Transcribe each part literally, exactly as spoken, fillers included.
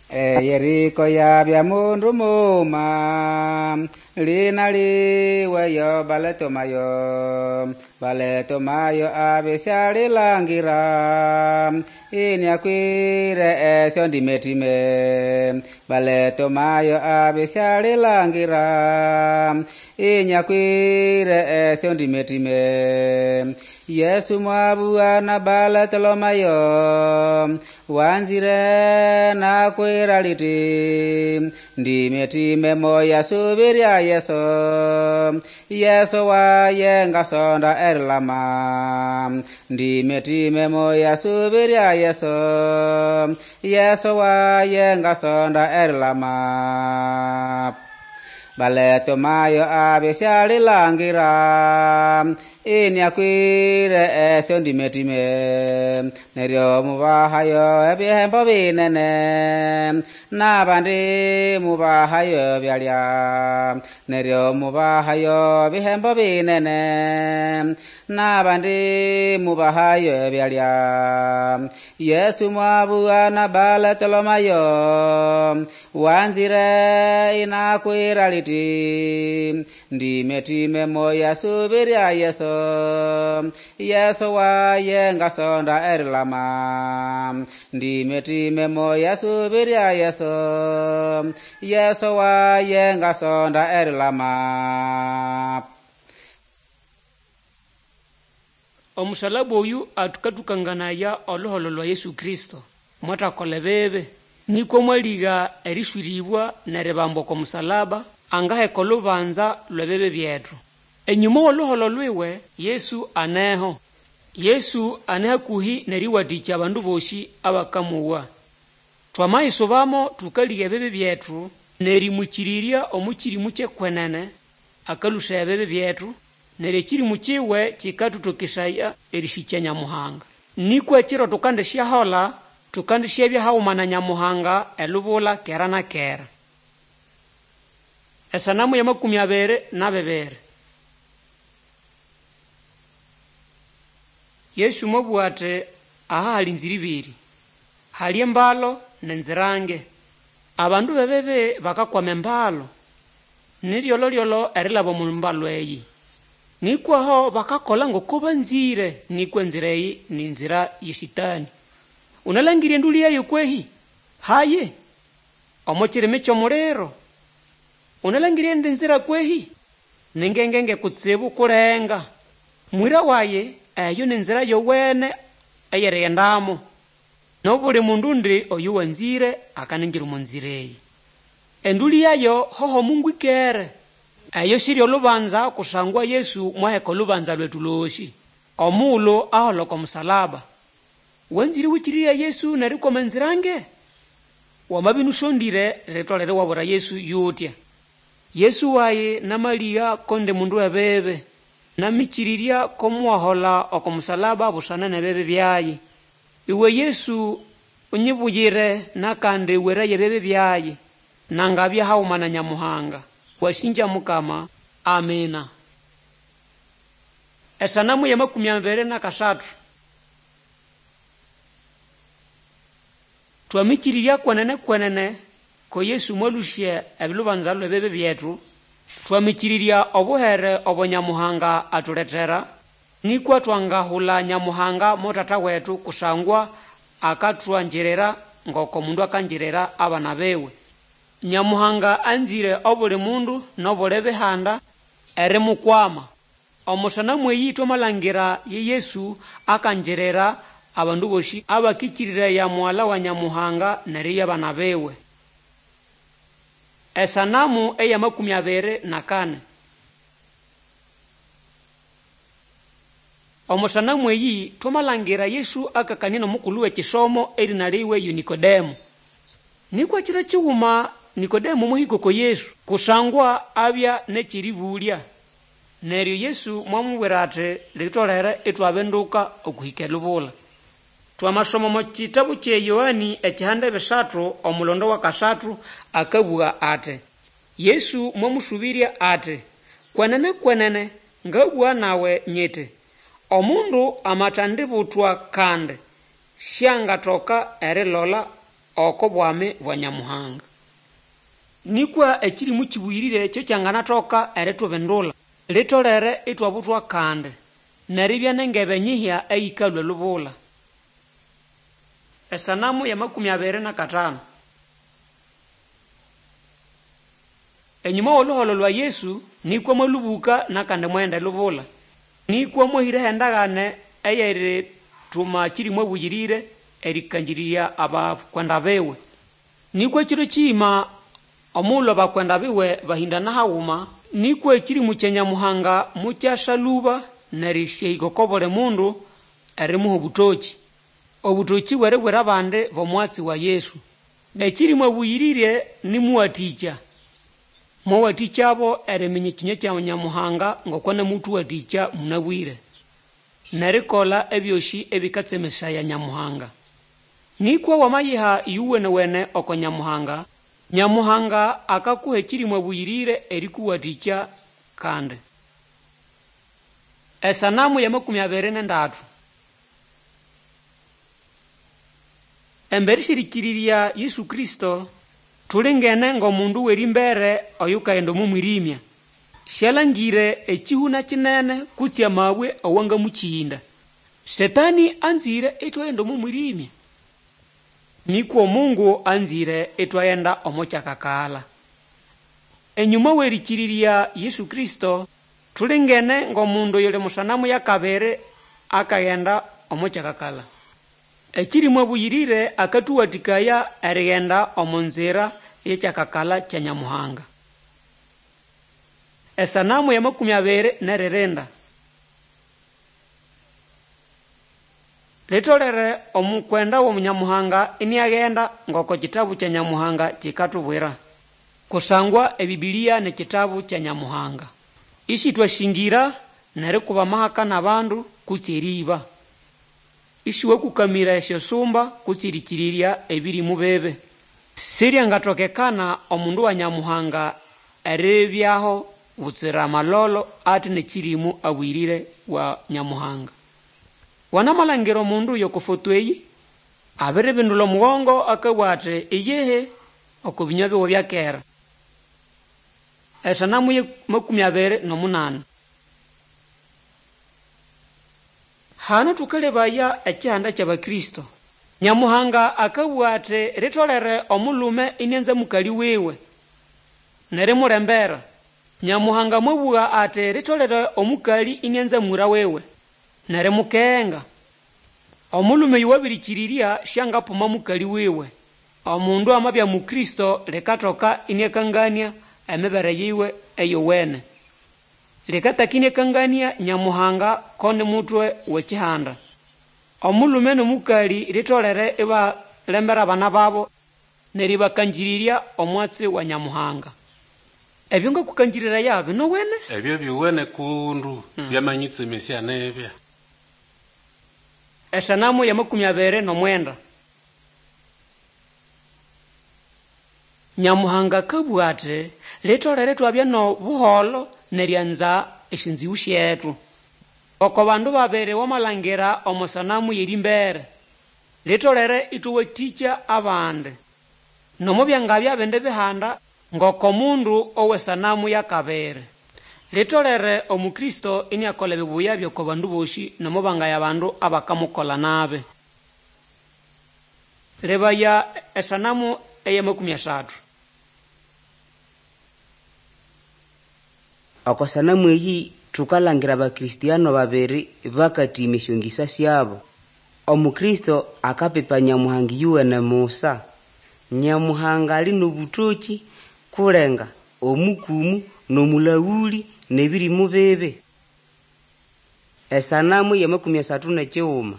Eyeriko yabya mundu muma lina liwe yo Baletomayo Baletomayo abisyalilangira inyakwire esyo ndimetime Baletomayo abisyalilangira inyakwire esyo ndimetime Yesu mwabuana Baletolomayo wanzire nakwira liti ndimetime moya subiria Yesu Yesu wayenga sonda erilama ndimetime moya subiria Yesu Yesu wayenga sonda erilama Baletomayo abisyalilangira inyakwire esyo ndimetime neryo mubahayo ebihembo binene n'abandi mubahayo byalya neryo mubahayo bihembo binene n'abandi mubahayo byalya Yesu mwabuana Baletolomayo wanzire inakwira liti ndimetime moya subiria Yesu Yesu wayenga sonda erilama ndimetime moya subiria Yesu Yesu wayenga sonda erilama. Omusalaba oyu atukatukanganaya oluholo lwa Yesu Kristo mwathakola ebibi nikwa mwaliga erishwiribwa neribambwa oko musalaba angaheka olubanza lw'ebibi byethu. Enyuma w'oluholo lwiwe Yesu aneho. Yesu ane hakuhi neriwathikya abandu bosi abakamuwa. Twamayisubamo tukaliga ebibi byethu nerimwikirirya omu kirimu ky'ekwenene akalusha ebibi byethu neryo ekirimu kiwe kikatutokesaya erisikya Nyamuhanga. Nikwa ekiro tukandisyahola tukandisyabya haghuma na Nyamuhanga elubula kera na kera. Esanamu ya makumi abiri na bibiri. Yesu mwabugha ati aha hali nzira ibiri, hali embalo n'enzirange. Abandu b'ebibi bakakwama embalo, niryoloryolo erilaba omu mbalo eyi. Nikwaho bakakola ngoko banzire, nikwa enzira eyi ni nzira ye Sitani. Unalangire enduli yayo kwehi? Haye, omo kirimi ky'omuliro. Unalangire endi nzira kwehi? Ningengenge kutsibu kulenga. Mwira waye eyo ni nzira yowene eyerighendamo. Nobuli mundu undi oyu wanzire akaningira omu nzira eyi. Enduli yayo hoho Mungu ikere. Eyo siri olubanza kusangwa Yesu mwaheka olubanza lwetu lwosi. Omughulhu ahola oko musalaba. Wanzire wikirirya Yesu nerikwama enzirange? Wamabya inusondire ritolere iwabwira Yesu yutya. Yesu wayi namaligha ko ndi mundu w'ebibi. Namikirirya ko muwahola oko musalaba busana n'ebibi byayi. Iwe Yesu unyibuyire nakandi weraye ebibi byayi. Nangabya haghuma na Nyamuhanga. Wasinja Mukama. Amina. Esanamu ya makumi abiri na kasathu. Twamikirirya kwenene kwenene ko Yesu mwalusya ebilubanza lw'ebibi byethu. Twamikirirya obuhere obo Nyamuhanga atulethera nikwa twangahula Nyamuhanga mo Tata wetu kusangwa akatwanjirira ngoko mundu akanjirira abana biwe. Nyamuhanga anzire obuli mundu n'obuli bihanda erimukwama. Omusanamu eyi twamalhangira ye Yesu akanjirira abandu bosi abakikiriraya mughala wa Nyamuhanga neribya abana biwe. Esanamu eya makumi abiri na kane. Omusanamu eyi twamalhangira Yesu akakania n'omukulhu w'ekisomo erina liwe yo Nikodemo. Nikwa kiro kighuma Nikodemo mwahika oko Yesu kusangwa abya n'ekyeribulya. Neryo Yesu mwamubwira ati litolere ithwabinduka okuhika elubula. Twamasoma omo kitabu kye Yohani ekihanda ebisathu omulondo wa kasathu akabugha ati Yesu mwamusubirya ati kwenene kwenene ngabugha nawe nyiti omundu amathandibuthwa kandi syangatoka erilola oko bwami bwa Nyamuhanga. Nikwa ekirimu kibuyirire kyo kyanganathoka eritubindula, litolere itwabuthwa kandi neribya nengebe nyihya eyikalhwa elubula. Esanamu ya makumi abiri na katano. Enyuma w'oluholo lwa Yesu nikwa mwalubuka nakandi mwaghenda elubula. Nikwa mwahĩraho endagane eyerithuma kirimu abuyirire erĩkangĩrĩrya abakwenda biwe. Nikwa ekiro kiyima omughulhu abakwenda biwe bahĩndana haghuma, nikwa ekirimu kya Nyamuhanga mukyasya lũba nerĩsyahĩka oko buli mundu erimuha obũtokĩ. Obũtokĩ bw'eribwira abandi b'omwatsi wa Yesu. Ekirimu abuyirire nimuwathĩkya. Mwawathĩkyabo eriminya ekinywa kya Nyamuhanga ngoko anamuthuwathĩkya munabwire, n'erikolha ebyosi ebikatsemesaya Nyamuhanga. Nikwa wamayiha ĩyowene-wene oko Nyamuhanga, Nyamuhanga akakuha ekirimu abuyirire erikuwathĩkya kandi. Esanamu ya makumi abiri n'endatu. Embere sy'erĩkĩrĩrya Yesu Kristo, tulingene ng'omundu w'erimbere oyukaghenda omo mwirimya. Syalangire ekihuna kinene kutse amabwe awangamukiyinda. Setani anzire itwaghenda omo mwirimya, nikwa Omungu anzire itwaghenda omo kyakakala. Enyuma w'erĩkĩrĩrya Yesu Kristo, tulingene ng'omundu oyuli musanamu ya kabiri akaghenda omo kyakakala. Ekirimu abuyirire akathuwathĩkaya erighenda omo nzira y'ekyakakala kya Nyamuhanga. Esanamu ya makumi abiri n'eririnda. Litolere omukwenda wa Nyamuhanga iniaghenda ng'oko kitabu kya Nyamuhanga kikathubwira. Kusangwa ebibilia ni kitabu kya Nyamuhanga. Isithwashingira nerikuba amahaka n'abandu kutse eriiba. Isiwakukamira esyosumba kutse erĩkĩrĩrya ebirimu bibi. Siryangatokekana omundu wa Nyamuhanga eribyaho butsira amalolo ate n'ekirimu abuyirire wa Nyamuhanga. Wanamalhangira omundu oyoko foto eyi abiribindula omugongo akabugha ati iyihi oko binywa biwe byakera. Esanamu ye makumi abiri n'omunani. Hano thukalebaya ekihanda ky'Abakristo. Nyamuhanga akabugha ati ritolere omulhume inianza mukali wiwe nerimulembera. Nyamuhanga mwabugha ati ritolere omukali inianza mwira wiwe nerimukenga. Omulhume oyo wabirikyirirya syangapuma mukali wiwe. Omundu amabya Mukristo likathoka iniakangania emibere yiwe eyowene. Likataka iniakangania Nyamuhanga ko ni mutwe w'ekihanda. Omulhume n'omukali litolere ibalembera abana babo neribakangĩrĩrya omwatsi wa Nyamuhanga. Ebyo ngakukangiriraya binowene? Ebyo byuwene kundu byamanyitsemesya nibya. Esanamu ya makumi abiri n'omwenda. Nyamuhanga akabugha ati litolere twabya n'obuholo neryanza esyonziwu syethu. Oko bandu babiri wamalhangira omo sanamu y'erimbere, litolere ithuwathĩkya abandi. Nomo byangabya bindi bihanda ng'oko mundu ow'esanamu ya kabiri. Litolere Omukristo iniakolha ebibuya by'oko bandu bosi nomo bangaya bandu abakamukolha nabi. Lebaya esanamu eya makumi asathu. Oko sanamu eyi thukalhangira abakristiano babiri bakathima esyongisa syabo. Omukristo akapipa Nyamuhanga iyuwene musa. Nyamuhanga ali n'obutokĩ kulenga omukumu n'omulaghuli n'ebirimu bibi. Esanamu ya makumi asathu n'ekighuma.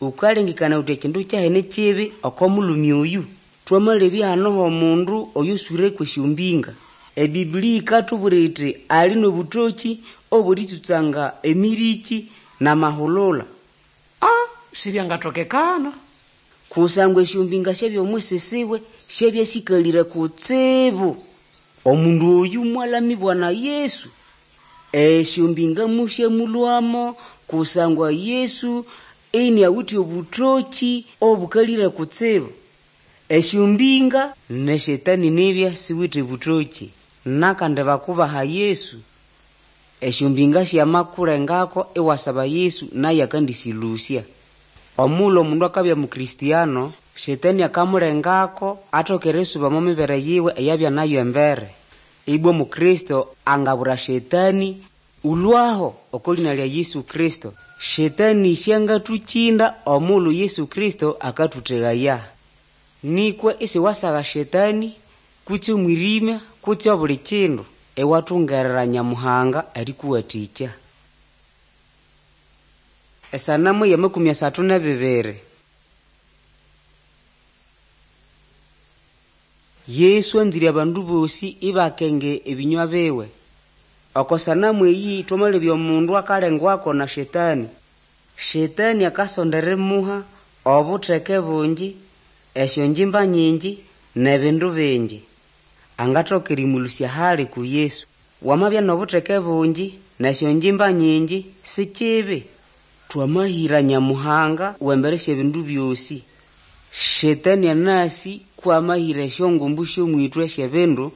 Wukalengekana wuthi ekindu kyahene kibi oko mulhume oyu? Twamalebya hano h'omundu oyoswire kw'esyombinga. Ebibilia yikathubwira yithi ali n'obutokĩ obw'eritsutsanga emiriki n'amahulula. Ah, sibyangatokekana. Kusangwa esyombinga syabya omwisisiwe syabya sikalire kutsibu. Omundu oyu mwalamibwa na Yesu. Esyombinga musyamulhwamo kusangwa Yesu Iniawithe obũtokĩ obũkalĩre kutsibu. Esyombĩnga n'eshetani nibya siwithe bũtokĩ. Nakandi bakubaha Yesu. Esyombĩnga syamakulengako iwasaba Yesu naye akandĩsĩlũsya. Omughulhu omundu akabya mukristiano, shetani akamulengako atoke erisuba omo mibere yiwe eyabya nayo embere. Ibwa omukristo angabwira shetani, Ũlũaho oko lĩna lya Yesu Kristo. Shetani syangatũkĩnda omughulhu Yesu Kristo akatũtegaya. Nĩkwa isiwasagha shetani, kutse omwĩrĩmya, kutse obuli kindu, iwatungerera Nyamuhanga erĩkũwatĩkya. Esanamu y'amakumi asathu n'ebibiri. Yesu anzĩre abandu bosĩ ibakenge ebĩnywa biwe. Oko sanamu eyi twamalebya omundu akalengwako na shetani. Shetani akasonda erimuha obutheke bungi, esyongimba nyingi, n'ebindu bingi. Angathoka erimũlũsya hali ku Yesu. Wamabya n'obutheke bungi n'esyongimba nyingi, si kibi. Twamahĩra Nyamuhanga w'embere sy'ebindu byosĩ. Shetani anasĩ kwamahĩra esyongumbu sy'omwĩtwe sy'ebindu,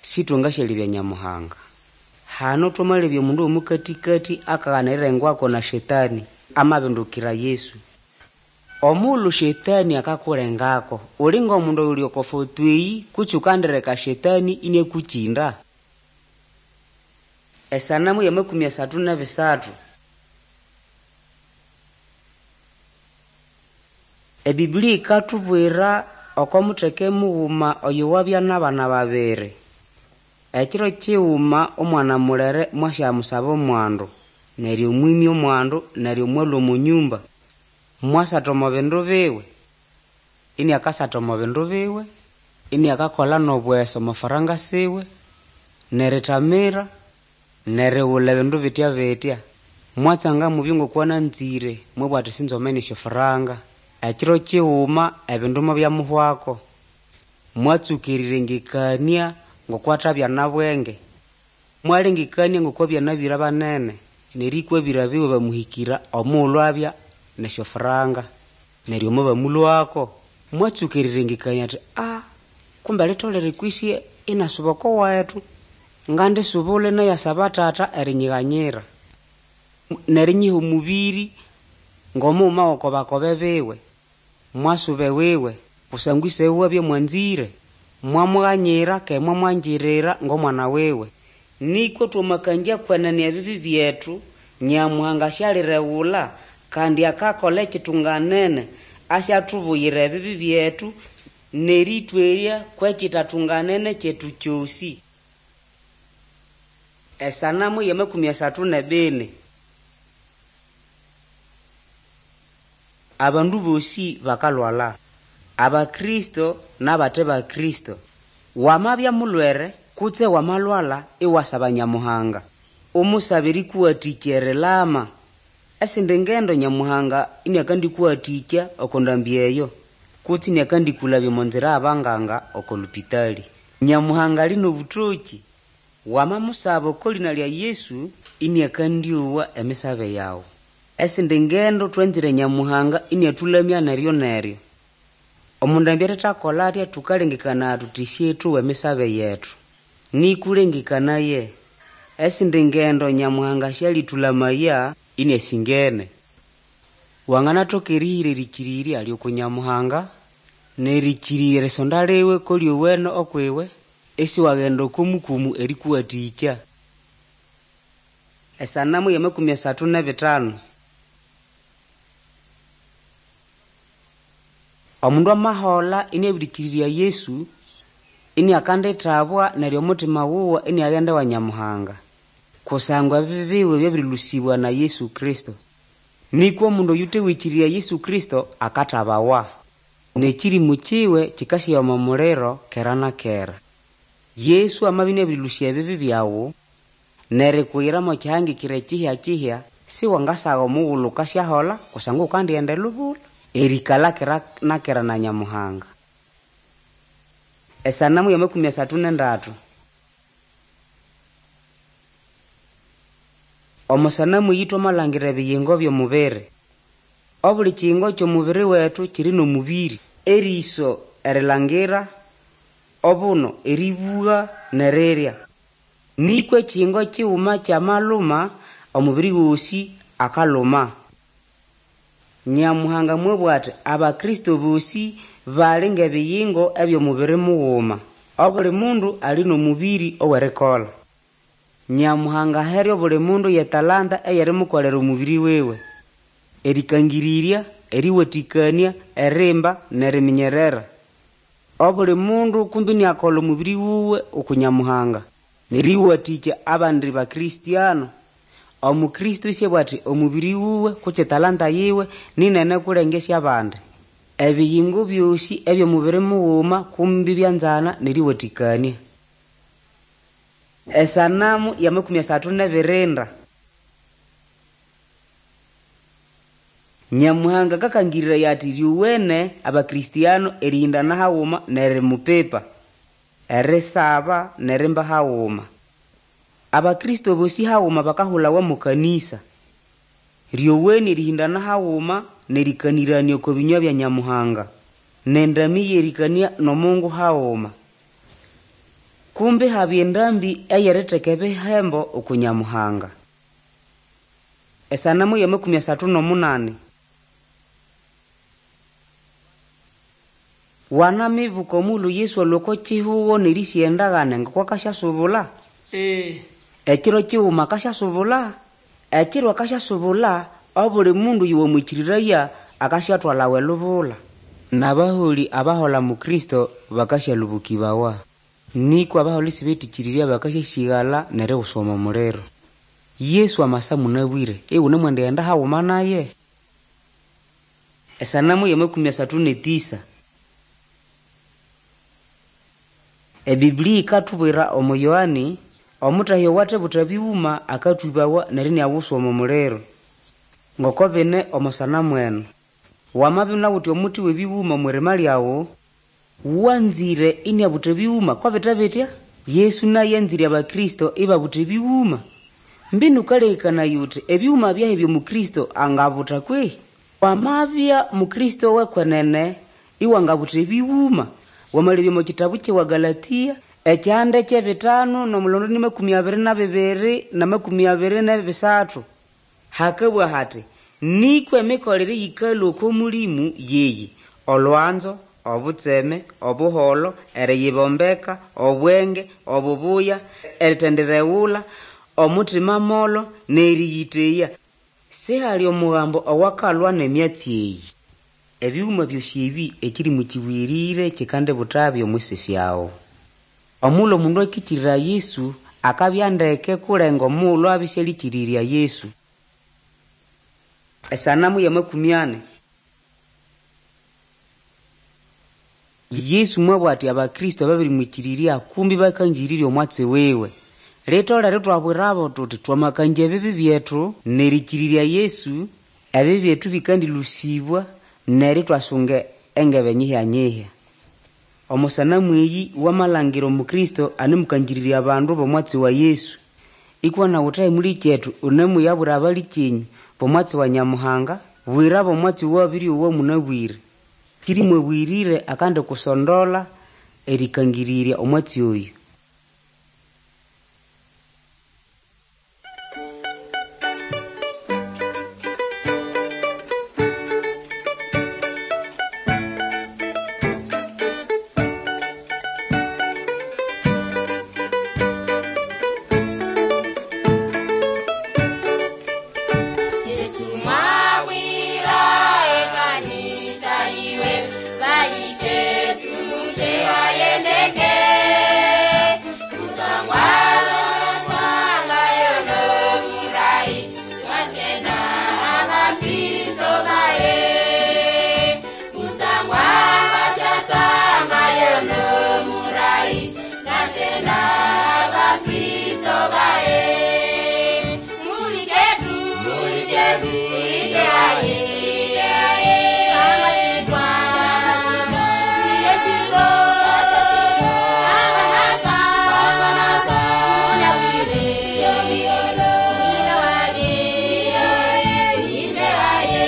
sĩtwangasyalebya Nyamuhanga. Hano twamalebya omundu w'omũkatĩkatĩ akaghana erilengwako na shetani, amabindukira Yesu. Omughulhu shetani akakulengako, uli ng'omundu oyuli oko foto eyi kutse ukandireka shetani iniakũkĩnda? Esanamu y'amakumi asathu n'ebisathu. Ebibuli yikathubwira oko mutheke mughuma oyo wabya n'abana babiri. Ekiro kighuma omwana mulere mwasyamusaba omwandu, neryo mwimya omwandu neryo mwalhwa omo nyumba. Mwasatha omo bindu biwe. Iniakasatha omo bindu biwe, iniakakolha n'obwesa omo faranga siwe, n'erithamira, n'erighulha ebindu bitya-bitya. Mwatsanga mubyo ng'okwananzire, mwabugha athi sinzomene esyofaranga. Ekiro kighuma ebindu mubyamuhwako. Mwatsuka erirengekania ng'okwathabya na bwenge. Mwalengekania ng'okwabya n'abĩra banene, nerĩkwa abĩra biwe bamuhikira omughulhu abya n'esyofaranga, neryo mobamulhwako. Mwatsuka erirengekania athi aa, kumbe litolere kwisi inasuba oko wethu, ngandisubula inayasaba tata erinyighanyira, n'erinyiha omubiri ng'omughuma w'oko bakobe biwe. Mwasuba ewiwe, kusangwa ise wiwe abya mwanzire. Mwamughanyira keghe mwamwangirira ng'omwana wiwe. Nĩkwa twamakangya kwenene ebibi byethu, Nyamuhanga asyalireghulha kandi akakola ekitunganene, asyathubuyira ebibi byethu n'erĩtwerya kw'ekitatunganene kyethu kyosĩ. Esanamu y'amakumi asathu n'ebini. Abandu bosĩ bakalhwalha, Abakristo n'abate bakristo. Wamabya mulhwere kutse wamalhwalha iwasaba Nyamuhanga, umusabe erĩkũwathĩkya erilama. Esindi ngendo Nyamuhanga iniakandĩkũwathĩkya oko ndambi eyo, kutse iniakandĩkũlabya omo nzira y'abanganga oko lupitali. Nyamuhanga ali n'obũtokĩ. Wamamusaba oko lĩna lya Yesu, iniakandyowa emisabe yawu. Esindi ngendo twanzire Nyamuhanga iniathulamya neryo-neryo. Omundu athethakola atya thukalengekanaya thuthi syethowa emisabe yethu. Nĩkũlengekanaye, esindi ngendo Nyamuhanga syalĩthulamaya iniasingene. Wanganathoka erihira erĩkĩrĩrya ly'oku Nyamuhanga, n'erĩkĩrĩrya erisonda liwe ko lyowene okwiwe, isiwaghenda oko mukumu erĩkũwathĩkya. Esanamu y'amakumi asathu n'ebithanu. Omundu amaholha iniabirikyirirya Yesu, iniakandithabwa neryo omuthima wuwe iniaghenda ewa Nyamuhanga, kusangwa ebibi biwe byabirilhusibwa na Yesu Kristo. Nĩkwa omundu oyuthewikyirirya Yesu Kristo akathabawa, n'ekĩrĩmũ kiwe kikasyayowa omo muliro kera na kera. Yesu amabya iniabirilhusya ebibi byawu, n'erikuyira mo kihangikire kihya-kihya, siwangasagha omughulhu wukasyaholha kusangwa wukandighenda elubula, erikalha kera na kera na Nyamuhanga. Esanamu y'amakumi asathu n'endatu. Omo sanamu eyi twamalhangira ebiyingo by'omubiri. Obuli kiyingo ky'omubiri wetu kiri n'omubiri. Eriso erilangira, obuno erĩbũga n'erirya. Nĩkwa ekiyingo kiguma kyamaluma, omubiri gosĩ akaluma. Nyamuhanga mwabũga ati Abakristo bosĩ bali ng'ebiyingo eby'omubiri muguma. Obuli mundu ali n'omubiri ow'erikolha. Nyamuhanga ahere obuli mundu y'etalanta ey'erimukolera omubiri wiwe. Erĩkangĩrĩrya, erĩwatĩkanĩa, erimba n'eriminyerera. Obuli mundu kumbi iniakola omubiri wuwe uku Nyamuhanga n'erĩwatĩkya abandi Bakristiano. Omukristo isiabugha ati omubiri wuwe kutse etalanta yiwe ninene kulenga esy'abandi. Ebiyingo byosĩ eby'omubiri mughuma kumbi ibyanzana n'erĩwatĩkanĩa. Esanamu y'amakumi asathu n'ebirinda. Nyamuhanga akakangĩrĩraya ati lyowene Abakristiano erĩhĩndana haghuma n'erimupipa, erisaba n'erimba haghuma. Abakristo bosĩ haghuma bakahulawa mo kanĩsa. Lyowene erĩhĩndana haghuma n'erĩkanĩranĩa oko bĩnywa bya Nyamuhanga, n'endamĩ y'erĩkanĩa n'Omungu haghuma. Kumbi habya endambĩ ey'eritheka ebihembo uku Nyamuhanga. Esanamu y'amakumi asathu n'omunani. Wanamibuka omughulhu Yesu alhwa oko kihugo n'erĩsĩga endagane ngoko akasyasubula? Ee. Ekiro kighuma akasyasubula? Ekiro akasyasubula, obuli mundu oyowamwĩkĩrĩraya akasyathwalawa elubula. N'abaholĩ abahola mu Kristo bakasyalũbũkĩbawa. Nĩkwa abaholĩ isibetĩkĩrĩrya bakasyasĩgala n'eriguswa omo muliro. Yesu amasa mũnabwĩre, iwunemwendighenda haghuma naye? Esanamu y'amakumi asathu n'etĩsa. Ebiblia ĩkatubwira omo Yohani, omutahya owathebutha bighuma akatwĩbawa neryo iniaguswa omo muliro. Ngoko bine omo sanamu eno. Wamabya iwunawithe omuti w'ebighuma omw'irima lyawu, wanzire iniabutha ebighuma ko bite bitya? Yesu naye anzire Abakristo ibabutha ebighuma. Mbinu ũkalekekanaya uthi ebighuma byahi eby'Omukristo angabutha kwehĩ? Wamabya Mukristo w'ekwenene iwangabutha ebighuma. Wamalebya omo kitabu ky'ewa Galatia ekyihanda ky'ebitanu n'omulondo ni makumi abiri na bibiri na makumi abiri n'ebisathu. Hakabugha hati, nĩkwa emikolere eyikalhwa oko Mũlĩmũ yeyi: olwanzo, obutseme, obuholo, eriyibombeka, obwenge, obubuya, eritendireghula, omutima molo, n'erĩyĩteya. Sihali omugambo owakalwa n'emyatsi eyi. Ebighuma byosi ebi ekĩrĩmũ kĩbũyĩrĩre kikandibuthabyo omwisi syawu. Omughulhu omundu akĩkĩrĩraya Yesu akabya ndeke kulenga omughulhu abya isialĩkĩrĩrya Yesu. Esanamu y'amakumi ani. Yesu mwabugha ati Abakristo ababirimwĩkĩrĩrya kumbi bakangĩrĩrya omwatsi wiwe. Litolere ithwabwirabo thuthi twamakangya ebibi byethu n'erĩkĩrĩrya Yesu, ebibi byethu bikandĩlũsĩbwa neryo ithwasunga engebe nyihya-nyihya. Omo sanamu eyi wamalhangira Omukristo anemukangĩrĩrya abandu b'omwatsi wa Yesu. Ikuwa nawu wuthahe mulikyethu unemuyabwira abalikyenyu b'omwatsi wa Nyamuhanga, bwirabo omwatsi owabĩryowa mũnabwĩre. Kĩrĩmũ abũyĩrĩre akandikusondola erĩkangĩrĩrya omwatsi oyu. Yesu mwabwira ekanisa iwe valitetu teyayendeke kusangwa sanga yono murai mwachena abakristo baye kusangwa vachasanga yono murai nachena abakristo baye mulitetu mulitetu iteaye iteaye angasitwa siyechiro anganasa anganasa unawire iteaye iteaye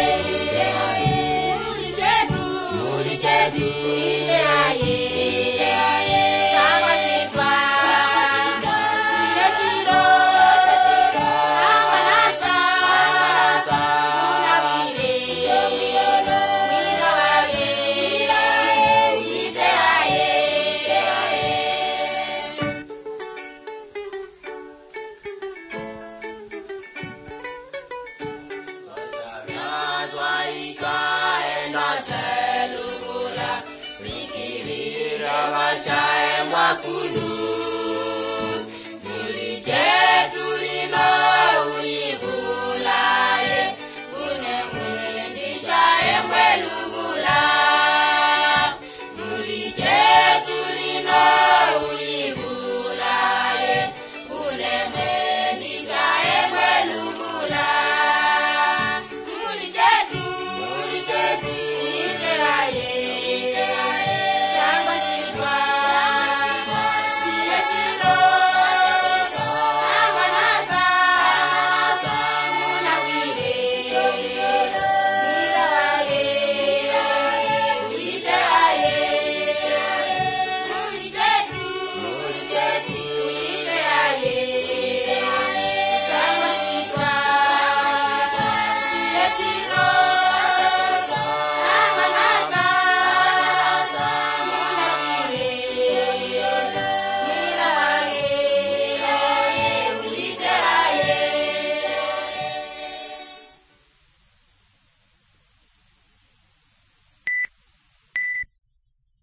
Twaikaenda telubula bikirira vashaembwa kunu.